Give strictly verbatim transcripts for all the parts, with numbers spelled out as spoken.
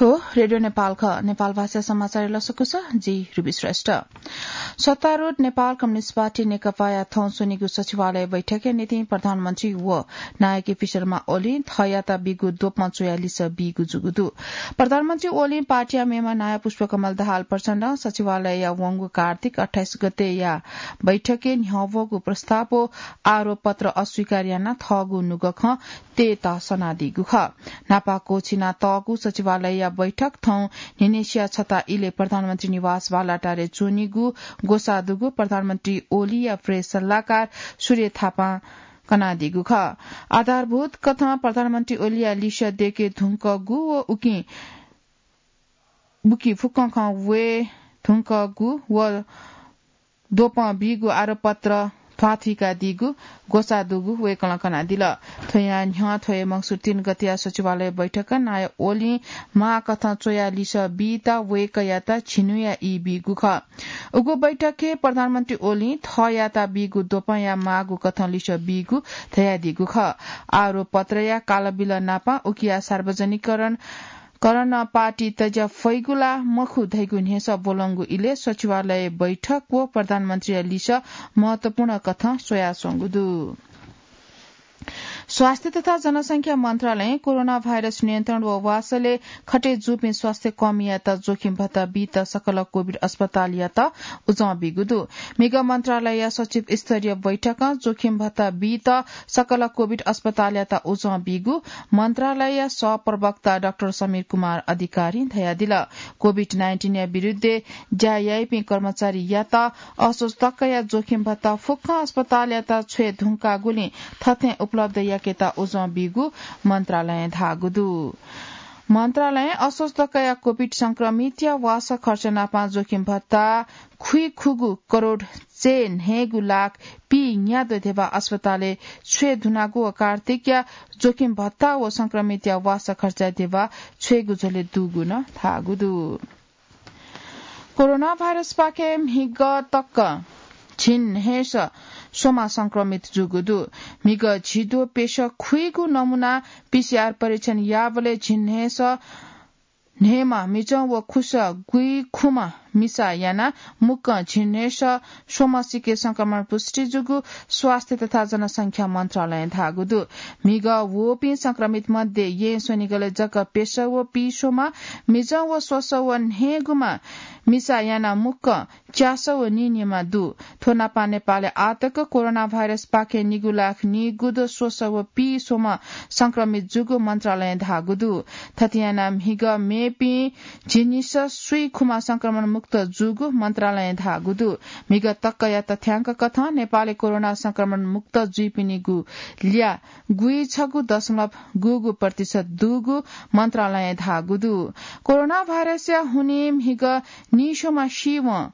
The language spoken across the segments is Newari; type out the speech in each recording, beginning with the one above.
रेडियो नेपाल ख, नेपाल भाषा समाचार लसकुस, जि रुबी श्रेष्ठ। सत्तारूढ नेपाल कम्युनिस्ट पार्टी नेकपाया थौं स्वनिगु सचिवालय बैठकया निंतिं प्रधानमन्त्री व नायः केपी शर्मा ओलीं थःयात बीगु द्वपं च्वया लिसः बीगु जूगु दु। प्रधानमन्त्री ओलीं पार्टीया मेम्ह नायः पुष्पकमल दाहाल प्रचण्डं सचिवालयया वंगु कार्तिक अट्ठाइस गतेया बैठकय् न्ह्यवःगु प्रस्ताव व आरोप पत्र अस्वीकार यानाः थःगु नुगः खँ तयेत सनादीगु खः। न्हापा क्वःछिना तःगु सचिवालयया बैठक थौं न्हिनेसिया छता इलय् प्रधानमन्त्री निवास बालाटारय् च्वनीगु ग्वसाः दुगु प्रधानमन्त्री ओलीया प्रेस सल्लाहकार सूर्य थापां कनादीगु खः। आधारभूत कथं प्रधानमन्त्री ओलीया लिसः दयेके धुंकूगु व उकिं बुकी फुक्कं खँ वये धुंकूगु व द्वपं बीगु आरोपपत्र ध्वाथुइकादीगु ग्वसाः दुगु वय्कलं कनादिल। थ्वयां न्ह्यः थ्व हे मंगसिर तीन गतेया सचिवालय बैठकय् नायः ओलीं माःकथं च्वया लिसः बीत वय्कःयात झिन्हुया ई बीगु खः। उगु बैठकय् प्रधानमन्त्री ओलीं थःयात बीगु द्वपंया माःगु कथं लिसः बीगु धयादीगु खः। आरोपपत्रया कालबिल नापं उकिया सार्वजनिकरण करण पार्टी तज्या फइगु ला मखु धइगु न्ह्यसः ब्वलंगु इलय् सचिवालय बैठक व प्रधानमन्त्रीया लिसः महत्वपूर्ण कथं स्वयाच्वंगु दु। स्वास्थ्य तथा जनसंख्या मन्त्रालयं कोरोना भाइरस नियन्त्रण व वासलय् खटे जूपिं स्वास्थ्य कर्मीयात जोखिम भत्ता बीत सकल कोभिड अस्पतालयात उजं बीगु दु। म्हिगः मन्त्रालयया सचिव स्तरीय बैठकं जोखिम भत्ता बीत सकल कोभिड अस्पतालयात उजं बीगु मन्त्रालयया सहप्रवक्ता डाक्टर समीर कुमार अधिकारीं धयादिल। कोभिड नाइन्टिनया विरुद्धय् ज्या याइपिं कर्मचारीयात असोज तकया जोखिम भत्ता फुक्कं अस्पतालयात छ्वये धुंकाःगुलिं थथें उपलब्ध याकेत उजं बीगु मन्त्रालयं धाःगु दु। मन्त्रालयं असोज तकया कोभिड संक्रमितया वासः खर्च नापं जोखिम भत्ता खुइखुगू करोड चय् न्हय्गू लाख पीन्याद्वः ध्यबा अस्पतालय् छ्वये धुनागु व कार्तिकया जोखिम भत्ता व संक्रमितया वासः खर्चया ध्यबा छ्वयेगु झ्वलय् दुगु नं धाःगु दु। कोरोना भाइरसपाखें म्हिगः तक झिंन्हय्सः स्वम्ह संक्रमित जूगु दु। म्हिगः झिद्वः प्यसः खुइगू नमूना पीसीआर परीक्षण याःबलय् झिंन्हय्सः न्हय्म्ह म्हिजं व खुसः गुइखुम्ह मिसा यानाः मुक्कं झिंन्हय्सः स्वम्ह सिके संक्रमण पुष्टि जूगु स्वास्थ्य तथा जनसंख्या मन्त्रालयं धाःगु दु। म्हिगः वःपिं संक्रमित मध्ये येँ स्वनिगलय् जक प्यसः व पीस्वम्ह, म्हिजं व स्वसः व न्हय्गुम्ह मिसा यानाः मुक्कं च्यासः व नीन्यम्ह दु। थ्व नापं नेपालय् आःतक कोरोना भाइरसपाखें निगू लाख नीगुद्वः स्वसः व पीस्वम्ह संक्रमित जूगु मन्त्रालयं धाःगु दु। थथे यानाः म्हिगः मेपिं झिंनिसः स्वीखुम्ह संक्रमण मुक्त जूगु मन्त्रालयं धाःगु दु। म्हिगः तकया तथ्यांक कथं नेपालय् कोरोना संक्रमण मुक्त जुइपिनिगु ल्याः गुइछगू दशमलव गुगू प्रतिशत दुगु मन्त्रालयं धाःगु दु। कोरोना भाइरसया हुनिं म्हिगः नीस्वम्ह सीवं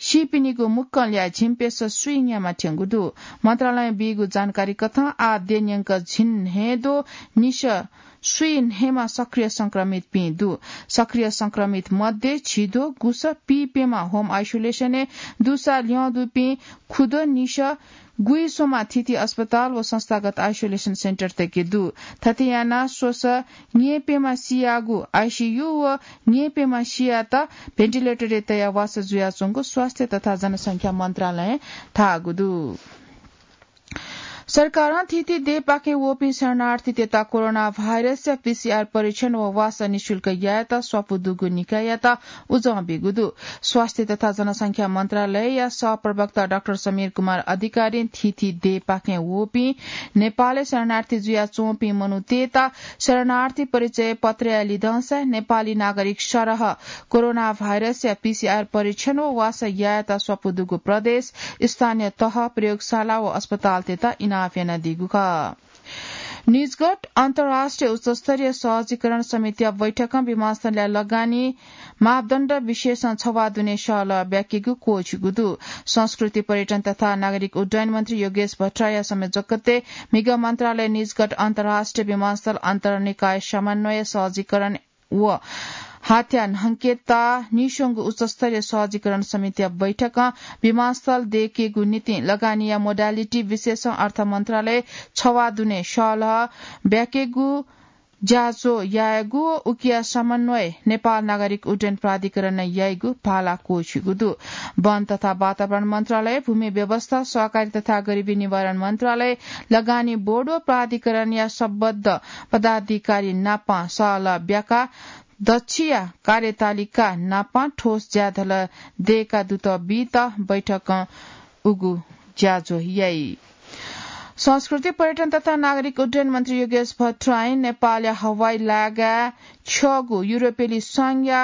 सीपिनिगु मुक्कं ल्याः झिंप्यसः स्वीन्याम्ह थ्यंगु दु। मन्त्रालयं बीगु जानकारी कथं आः देन्यंक झिंन्हय्द्वः निसः स्वीन्हय्म्ह सक्रिय संक्रमितपिं दु। सक्रिय संक्रमित मध्ये झिद्वः गुसः पीप्यम्ह होम आइसोलेसनय् दुसा ल्यं दुपिं खुद्वः निसः गुइस्वम्ह थीथी अस्पताल व संस्थागत आइसोलेसन सेन्टरतय्के दु। थथे यानाः स्वसः न्येप्यम्ह सियागु आइसीयू व न्येप्यम्ह सियात भेन्टिलेटरय् तयाः वासः जुयाच्वंगु स्वास्थ्य तथा जनसंख्या मन्त्रालयं धाःगु दु। सरकारं थीथी देय्पाखें वःपिं शरणार्थीतय्त कोरोना भाइरसया पीसीआर परीक्षण व वासः निशुल्क यायेत स्वापू दुगु निकाययात उजं बीगु दु। स्वास्थ्य तथा जनसंख्या मन्त्रालयया सहप्रवक्ता डाक्टर समीर कुमार अधिकारीं थीथी देय्पाखें वःपिं नेपालय् शरणार्थी जुयाच्वंपिं मनूतय्त शरणार्थी परिचय पत्रया लिधंसाय् नेपाली नागरिक सरह कोरोना भाइरसया पीसीआर परीक्षण व वासः यायेत स्वापू दुगु प्रदेश, स्थानीय तह, प्रयोगशाला व अस्पतालतय्त इनाप यानादीगु खः। निजगढ अन्तर्राष्ट्रिय उच्चस्तरीय सहजीकरण समितिया बैठकं विमानस्थलया लगानी मापदण्ड विषयसं छवाः दुने सहलह ब्याकेगु क्वःछिगु दु। संस्कृति, पर्यटन तथा नागरिक उड्डयन मन्त्री योगेश भट्टराईया संयोजकत्वय् म्हिगः मन्त्रालय निजगढ अन्तर्राष्ट्रिय विमानस्थल अन्तर्निकाय समन्वय सहजीकरण व हाथ्या न्हंकेता नीस्वंगु उच्चस्तरीय सहजीकरण समितिया बैठकं विमानस्थल दय्केगु निंतिं लगानीया मोडालिटी विषयसं अर्थ मन्त्रालय छवाः दुने सहलह ब्याकेगु ज्याझ्वः यायेगु व उकिया समन्वय नेपाल नागरिक उड्डयन प्राधिकरणं याइगु भाला क्वःछिगु दु। वन तथा वातावरण मन्त्रालय, भूमि व्यवस्था, सहकारी तथा गरिबी निवारण मन्त्रालय, लगानी बोर्ड व प्राधिकरणया सम्बद्ध पदाधिकारी नाप सहलह ब्याका दच्छिया कार्यतालिका नाप ठोस ज्याझ्वः दयेका दुत बीत बैठकं उगु ज्याझ्वः याइ। संस्कृति, पर्यटन तथा नागरिक उड्डयन मन्त्री योगेश भट्टराई नेपालया हवाई लागाय् छ्यःगु युरोपेली संघया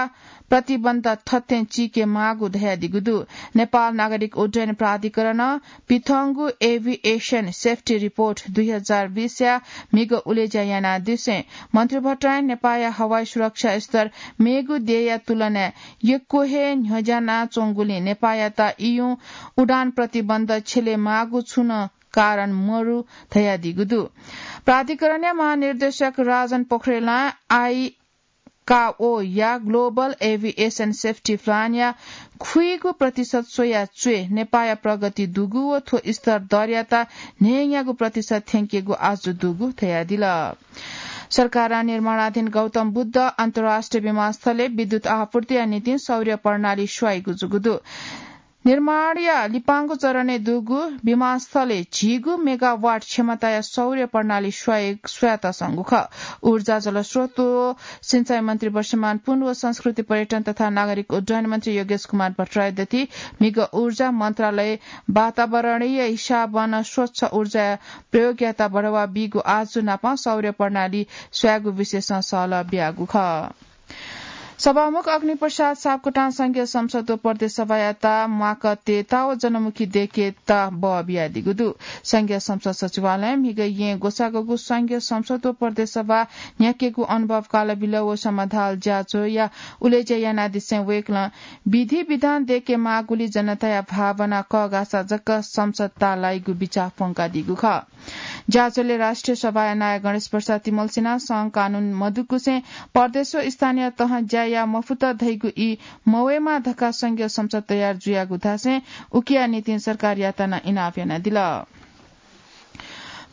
प्रतिबन्ध थथें चीके माःगु धयादीगु दु। नेपाल नागरिक उड्डयन प्राधिकरणं पिथंगु Aviation Safety Report दुई हजार बीसया म्हिगः उलेज्या यानादिसें मन्त्री भट्टराई नेपालया हवाई सुरक्षा स्तर मेगु देय्‌या तुलनाय् यक्व हे न्ह्यज्यानाच्वंगुलिं नेपालयात इयुं उडान प्रतिबन्ध छ्यले माःगु छुं नं कारण मरु धयादीगु दु। प्राधिकरणया महानिर्देशक राजन पोखरेलं आइकाओया Global Aviation Safety Plan या खुइगु प्रतिशत स्वया च्वय् नेपालया प्रगति दुगु व थ्व स्तर दरयात न्हय्‌न्यागू प्रतिशत थ्यंकेगु आजु दुगु धयादिल। सरकारं निर्माणाधीन गौतम बुद्ध अन्तर्राष्ट्रिय विमानस्थलय् विद्युत आपूर्तिया निंतिं सौर्य प्रणाली स्वइगु जूगु दु। निर्माणया लिपांगु चरणय् दुगु विमानस्थलय् झिगू मेगावाट क्षमताया सौर्य प्रणाली स्वये-, स्वयातःसंगु खः। ऊर्जा, जलस्रोत व सिंचाई मन्त्री वर्षमान पुन व संस्कृति, पर्यटन तथा नागरिक उड्डयन मन्त्री योगेश कुमार भट्टराई दथि म्हिगः ऊर्जा मन्त्रालय वातावरणीय हिसाबं स्वच्छ ऊर्जा प्रयोगयात बढावा बीगु आजु नाप सौर्य प्रणाली स्वयेगु विषयसं सहलह बियागु खः। सभामुख अग्निप्रसाद सापकोटां संघीय संसद व प्रदेश सभायात म्वाक तयेत व जनमुखी दयेकेत बः बियादीगु दु। संघीय संसद सचिवालयं म्हिगः येँ ग्वसाःगु संघीय संसद व प्रदेश सभा न्ह्याकेगु अनुभव काल बिल व समाधान ज्याझ्वःया उलेज्या यानादिसें वय्‌कलं विधि विधान दयेके माःगुलिं जनताया भावना कःघाःसा जक संसद ताःलाइगु बिचाः प्वंकादीगु खः। ज्याझ्वलय् राष्ट्रिय सभाया नायः गणेश प्रसाद तिमल्सिनां सं कानून मदुगुसें प्रदेश व स्थानीय तहं ज्या याये मफुत धइगु ई मवयेमा धकाः संघीय संसद तयार जुयागु धासें उकिया निंतिं सरकारयात नं इनाप यानादिल।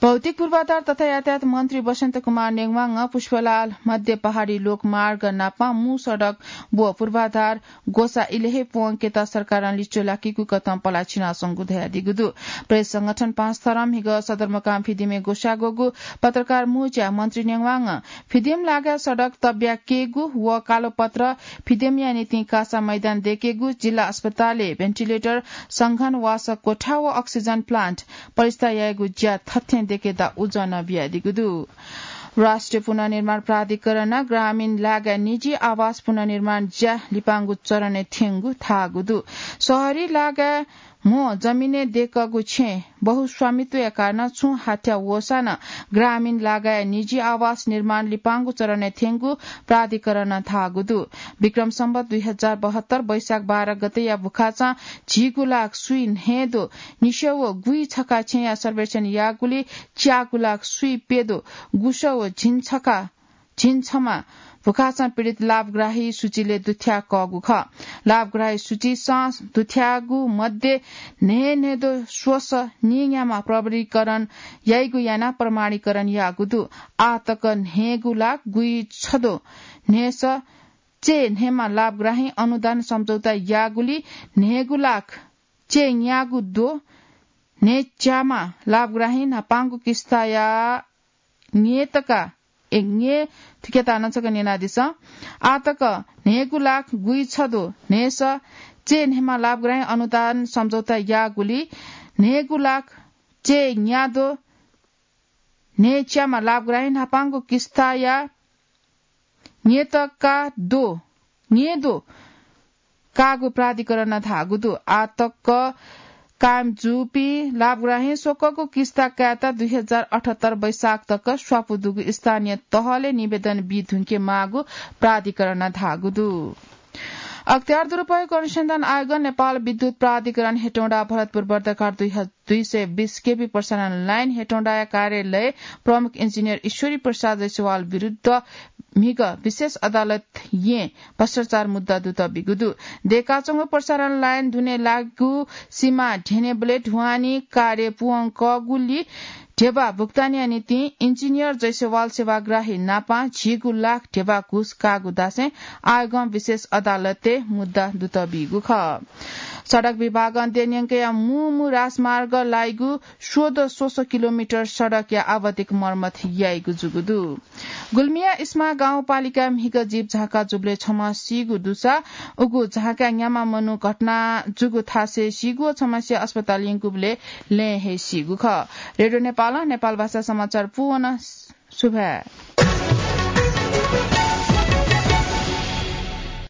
भौतिक पूर्वाधार तथा यातायात मन्त्री बसन्त कुमार नेवांगं पुष्पलाल मध्य पहाडी लोकमार्ग नाप मू सडक व पूर्वाधार ग्वसाः इलय् हे प्वंकेत सरकारं लिच्वः लाकीगु कथं पलाः छिनाच्वंगु धयादीगु दु। प्रेस संगठन पाँच थरं म्हिगः सदरमुकाम फिदिमय् ग्वसाः ग्वःगु पत्रकार मोर्चां मन्त्री नेवांगं फिदिम लागाय् सडक तब्याकेगु व कालोपत्र फिदिमया निंतिं कासा मैदान दयेकेगु, जिल्ला अस्पतालय् भेन्टिलेटर, संघनवासः कोठा व अक्सिजन प्लान्ट प्रतिष्ठा यायेगु ज्या थथें दयेकेत उजं नं बियादीगु दु। राष्ट्रिय पुनर्निर्माण प्राधिकरणं ग्रामीण लागाय् निजी आवास पुनर्निर्माण ज्या लिपांगु चरणय् थ्यंगु धाःगु दु। शहरी लागाय् म्हो जमिनय् दयेकःगु छेँ बहुस्वामित्वया कारणं छुं हाथ्या वःसा नं ग्रामीण लागाय् निजी आवास निर्माण लिपांगु चरणय् थ्यंगु प्राधिकरणं धाःगु दु। विक्रम सम्वत दुई हजार बहत्तर वैशाख बाह्र गतेया भुखाचं झिगू लाख स्वीन्हय्दँ निस्यागू व गुइछक्वः छेँया सर्वेक्षण याःगुलिं च्यागू लाख स्वीप्यदँ गुसः व झिंछक्वः झिंछम्ह भुखाचं पीडित लाभग्राही सूचीलय् दुथ्याकःगु खः। लाभग्राही सूचीसं दुथ्याःगु मध्ये न्हय्न्हय्दँ स्वसः नीन्याम्ह प्रमाणीकरण याइगु यानाः प्रमाणीकरण याःगु दु। आः तक न्हय्गू लाख गुइछद्ँ न्हय्सः चय्न्हय्म्ह लाभग्राहीं अनुदान सम्झौता याःगुलिं न्हय्गू लाख चय्न्यागू द्वः न्हय्च्याम्ह लाभग्राहीं न्हापांगु किस्ताया न्येतका, ए, न्ये, थुकियात हानं छकः न्यनादिसँ। आः तक न्हय्गू लाख गुइछद्ँ न्हय्सः चय्न्हय्म्ह लाभग्राहीं अनुदान सम्झौता याःगुलिं न्हय्गू लाख चय्न्याद्वः न्हय्च्याम्ह लाभग्राहीं न्हापांगु किस्ताया न्येतका द्वः, न्येद्वः काःगु प्राधिकरणं धाःगु दु। आः तक कायम जूपिं लाभग्राहीं स्वक्वःगु किस्ता कायेत दुई हजार अठहत्तर वैशाख तक स्वापू दुगु स्थानीय तहलय् निवेदन बी धुंके माःगु प्राधिकरणं धाःगु दु। अख्तियार दुरुपयोग अनुसन्धान आयोगं नेपाल विद्युत प्राधिकरण हेटौँडा भरतपुर वर्ध्याघाट दुई ह-, दुई सय बिस केभी प्रसारण लाइन हेटौँडाया कार्यालय प्रमुख इन्जिनियर ईश्वरी प्रसाद जैसवाल विरुद्ध म्हिगः विशेष अदालतय् भ्रष्टाचार मुद्दा दुत बिगु दु। दय्काच्वंगु प्रसारण लाइन दुने लाःगु सीमा ढ्यनेबलय् ढुवानी कार्य पूवंकःगुलिं ध्यबा भुक्तानीया निंतिं इन्जिनियर जयसेवाल सेवाग्राही नापां झिगू लाख ध्यबा घुस काःगु दासें आःगं विशेष अदालतय् मुद्दा दुत बीगु खः। सडक विभागं देय् न्यंकया मू मू राजमार्ग लाइगु सोह्र सय किलोमिटर सडकया आवधिक मर्मत याइगु जूगु दु। गुल्मीया इस्मा गाउँपालिका म्हिगः जीप झाँका जूबलय् छम्ह सीगु दुसा उगु झाँकाय् न्याम्ह मनू घटना जूगु थासय् सीगु व छम्हसिया अस्पताल यंकूबलय् लँय् हे सीगु खः। रेडियो नेपालं नेपाल भाषा समाचार पूवन। सुभाय्।